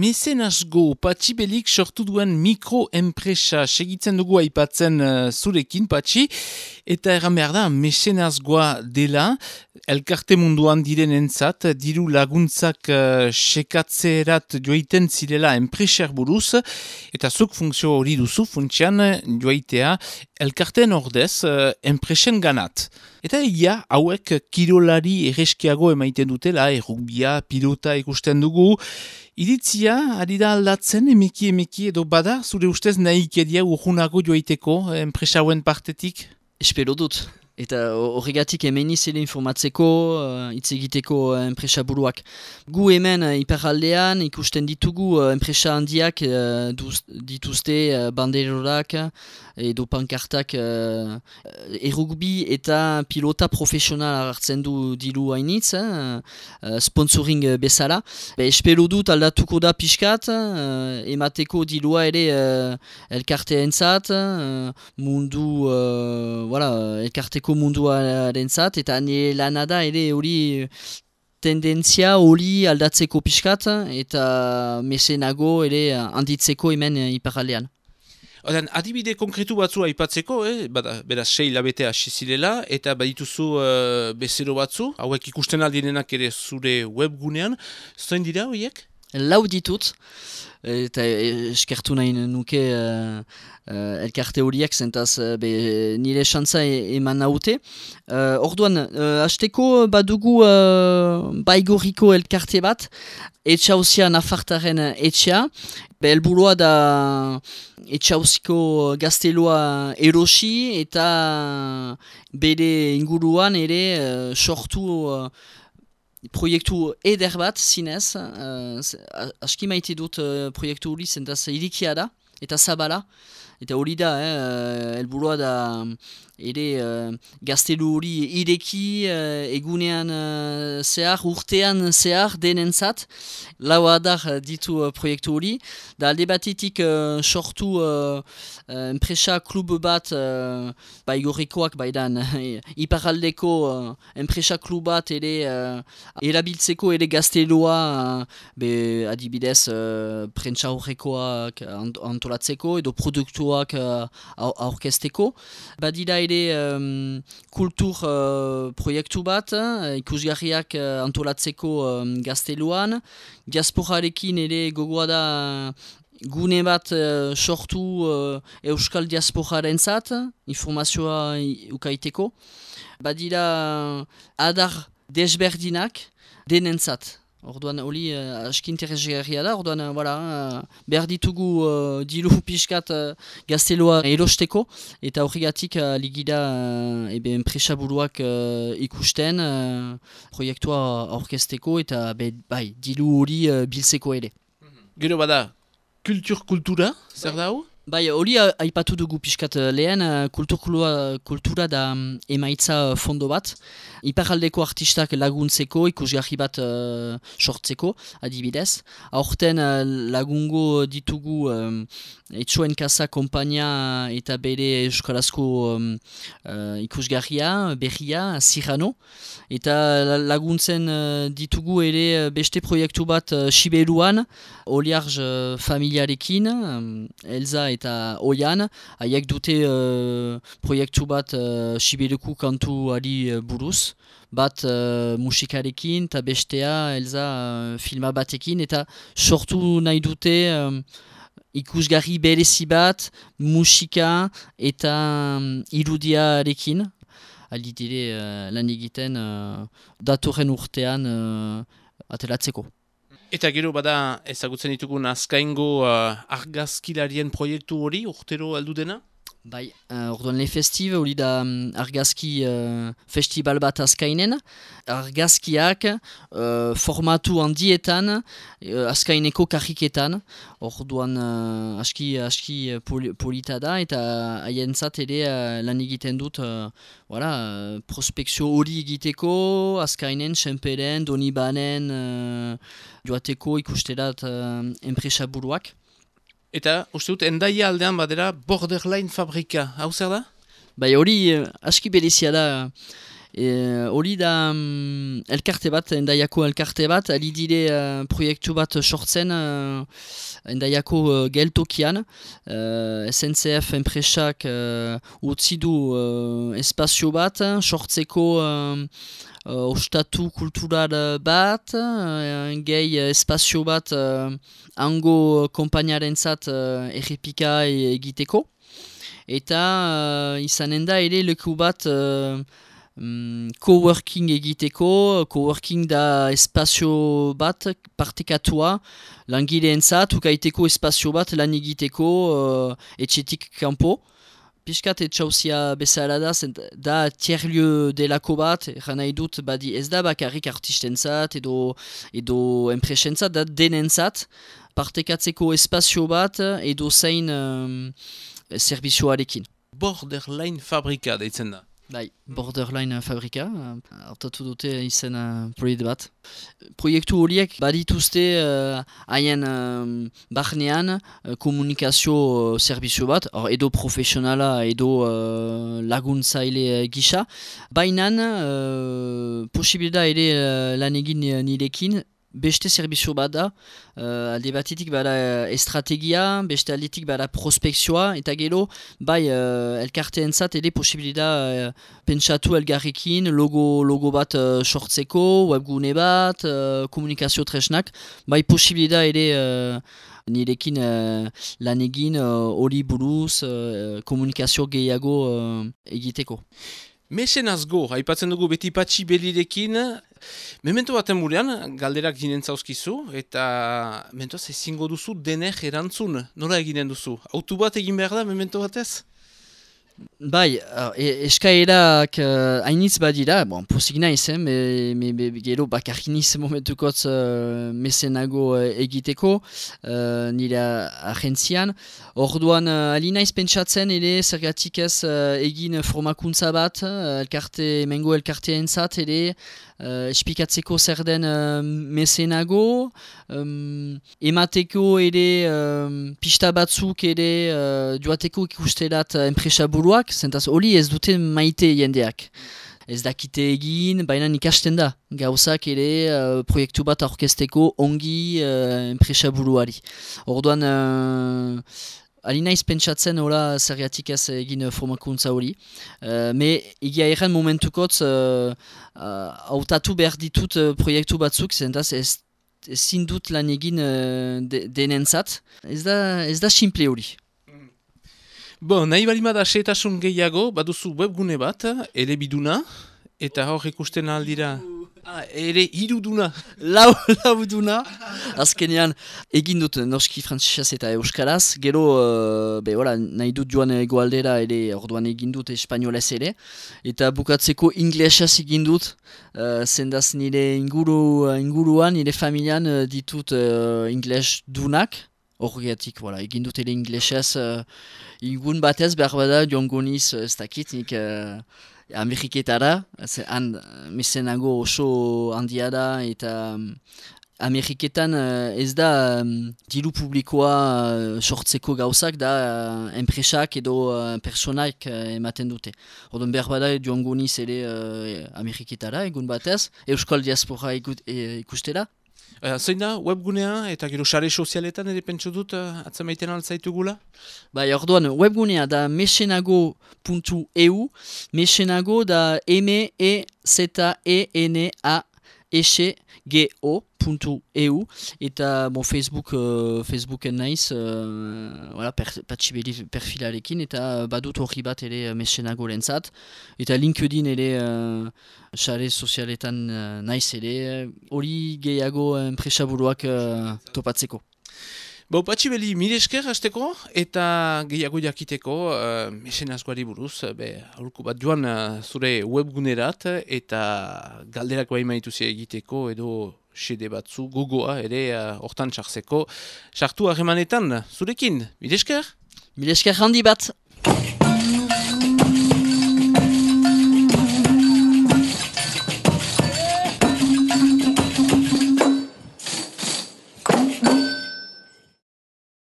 mecenasgo Patxi Belik sortu duen mikroenpresa segitzen dugu aipatzen zurekin, Patxi, eta erran behar da, mecenasgoa dela, elkarte munduan direnentzat, diru laguntzak sekatzerat joiten zirela enpreser buruz, eta zuk funtzio hori duzu funtsian joitea elkarteen ordez enpresen ganat. Eta ia, hauek kirolari erreskiago emaiten dutela, errugbia, pilota ikusten dugu. Iritzia, ari da aldatzen, emeki edo bada, zure ustez nahikeria urgunago joiteko enpresa hauen partetik? Espero dut. Eta horregatik hemen izele informatzeko, hitz egiteko enpresa buruak. Gu hemen iparraldean ikusten ditugu enpresa handiak dituzte banderorak edo pankartak errugbi eta pilota profesional hartzen du diru hainitz, sponsoring bezala. Espero dut aldatuko da pixkat, emateko dilua ere elkarteentzat, mundu, elkarteko munduarentzat, eta nire lanada ere hori tendentzia hori aldatzeko pixkat, eta mesenago ere handitzeko hemen iparraldean. Odan, adibide konkretu batzu aipatzeko, beraz 6 hilabete hasi zirela, eta badituzu bezero batzu, hauek ikusten aldirenak ere zure webgunean, zoin dira horiek? Lau ditut, eta eskertu nahi nuke elkarte horiek zentaz nire xantza eman naute. Orduan, hasteko badugu baigorriko elkarte bat, etxauzia nafartaren etxea, helburua da etxauziko gaztelua erosi eta bere inguruan ere sortu proiektu eder bat zinez, aski maite dut proiektu hori zentaz irikia da eta zabala, eta hori da, helburua da ere gaztelu hori ireki egunean zehar, urtean zehar denentzat, lau adar ditu proiektu hori, da alde batetik sortu enpresa klub bat baigorrikoak baidan, iparraldeko enpresa klub bat ere erabiltzeko ere gaztelua adibidez prentsa horrekoak antolatzeko edo produktuak aurkezteko. Badira ere kultur proiektu bat, ikusgarriak antolatzeko gazteluan, diasporarekin ere gogoa da gune bat sortu euskal diasporarentzat, informazioa ukaiteko. Badira adar desberdinak denentzat. Orduan hori aski interesgarria da, orduan behar ditugu diru pixkat gazteloa erosteko, eta horregatik ligida enpresa buruak ikusten proiektua aurkezteko eta diru hori biltzeko ere. Gero bada, kultura, zer da hau? Bai, hori aipatu dugu pixkat lehen, kultura da emaitza fondo bat. Iparraldeko artistak laguntzeko, ikusgarri bat sortzeko, adibidez. Aurten lagungo ditugu Etxoen Kasa kompainia eta bere euskarazko ikusgarria, berria, Zirano. Eta laguntzen ditugu ere beste proiektu bat Siberuan, Oliarz familiarekin, Elza eta Oian, haiek dute proiektu bat Siberuko kantuari buruz, bat musikarekin eta bestea Elza filma batekin, eta sortu nahi dute ikusgarri berezi bat, musika eta irudiarekin. Alditire lan egiten datorren urtean atelatzeko. Eta gero bada ezagutzen ditugun azkaingo argazkilarien proiektu hori urtero aldu dena? Bai, orduan le festiv hori da argazki festival bat azkainen. Argazkiak formatu handietan azkaineko karriketan. Orduan aski polita da eta haientzat ere lan egiten dut prospekzio hori egiteko azkainen, Senperen, Donibanen joateko ikusterat enpresa buruak. Eta, uste dut, Hendaia aldean badera Borderline fabrika, hau zer da? Bai, hori aski berezia da Hori da elkarte bat, Hendaiako elkarte bat, ali dire proiektu bat sortzen Hendaiako geltokian. SNCF enpresak utzi du espazio bat, sortzeko ostatu kultural bat, gehi espazio bat hango konpainiarentzat errepika egiteko. Eta izanen da ere leku bat coworking egiteko. Coworking da espazio bat partekatua langileentzat, ukaiteko espazio bat lan egiteko etxetik kanpo. Piskat etxauzia bezala da tiers-lieu delako bat, eran nahi dut badi ez da bakarrik artistentzat edo enpresentzat, da denentzat partekatzeko espazio bat edo zein zerbizioarekin. Borderline fabrika deitzen da. Bai, Borderline fabrika, hartatu dute izen proiektu bat. Proiektu horiek badituzte haien barnean komunikazio zerbizio bat, edo profesionala edo laguntzaile gisa. Baina posibilita ere lan egin nirekin, beste zerbizio bat da, alde batetik bada estrategia, beste aldetik bada prospekzioa, eta gero, bai, elkarteentzat ere posibilita pentsatu elgarrekin, logo bat sortzeko, webgune bat, komunikazio tresnak, bai posibilita ere nirekin lan egin hori buruz, komunikazio gehiago egiteko. Mecenazgo, haipatzen dugu beti Patxi Belirekin, memento baten burean, galderak ginen zauzkizu, eta mentoaz ezingo duzu denek erantzun, nola eginen duzu? Autu bat egin behar da, memento batez? Bai, eskaerak hainitz badira, pozik naiz, gero bakarkiniz momentukotz mesenago egiteko, nire agentzian. Orduan, ali naiz pentsatzen ere zergatik ez egin formakuntza bat, emengo elkarteentzat ere, espikatzeko zer den mesenago, emateko ere pista batzuk ere joateko ikusterat enpresa buruak, zentaz hori ez dute maite jendeak. Ez dakite egin, baina ikasten da. Gauzak ere proiektu bat aurkezteko ongi enpresa buruari. Orduan, ali naiz pentsatzen hola zergatik ez egin formakuntza hori. Me egia erran momentukotz hautatu behar ditut proiektu batzuk, zentaz ezin dut lan egin denentzat. Ez da simple hori. Nahi balimada setasun gehiago, baduzu webgune bat, ere biduna, eta hor ikusten aldira. Ere iruduna. Lauduna. Azkenean egin dut noski frantsesez eta euskaraz. Gero nahi dut joan egoaldera ere orduan egin dut espainolez ere. Eta bukatzeko inglesez egin dut. Zendaz nire inguruan, nire familian ditut ingles dunak. Horregatik, egin dut ere inglesez. Ingun batez behar bada joango niz ez dakit nik... Ameriketara, han mesenago oso handia da eta Ameriketan ez da diru publikoa sortzeko gauzak da enpresak edo personak ematen dute. Orduan behar bada joango niz ere Ameriketara egun batez, Euskal Diaspora ikustera. Zein da webgunea eta gero sare sozialetan ere pentsu dut atzamaiten altzaitugula? Bai, orduan webgunea da mesenago.eu, mesenago da mezenago.eu eta Facebooken naiz, Patxi Beli perfilarekin eta badut horri bat ere mesenago lentzat eta LinkedIn ere sare sozialetan naiz ere hori gehiago enpresaburuak topatzeko. Patxi Beli, mire esker hasteko eta gehiago jakiteko mesenazgoari buruz, aurko bat joan zure webgunerat eta galderak bai maituzia egiteko edo xede batzu gogoa ere hortan sartzeko. Sartu harremanetan zurekin, mire esker? Mire esker handi bat!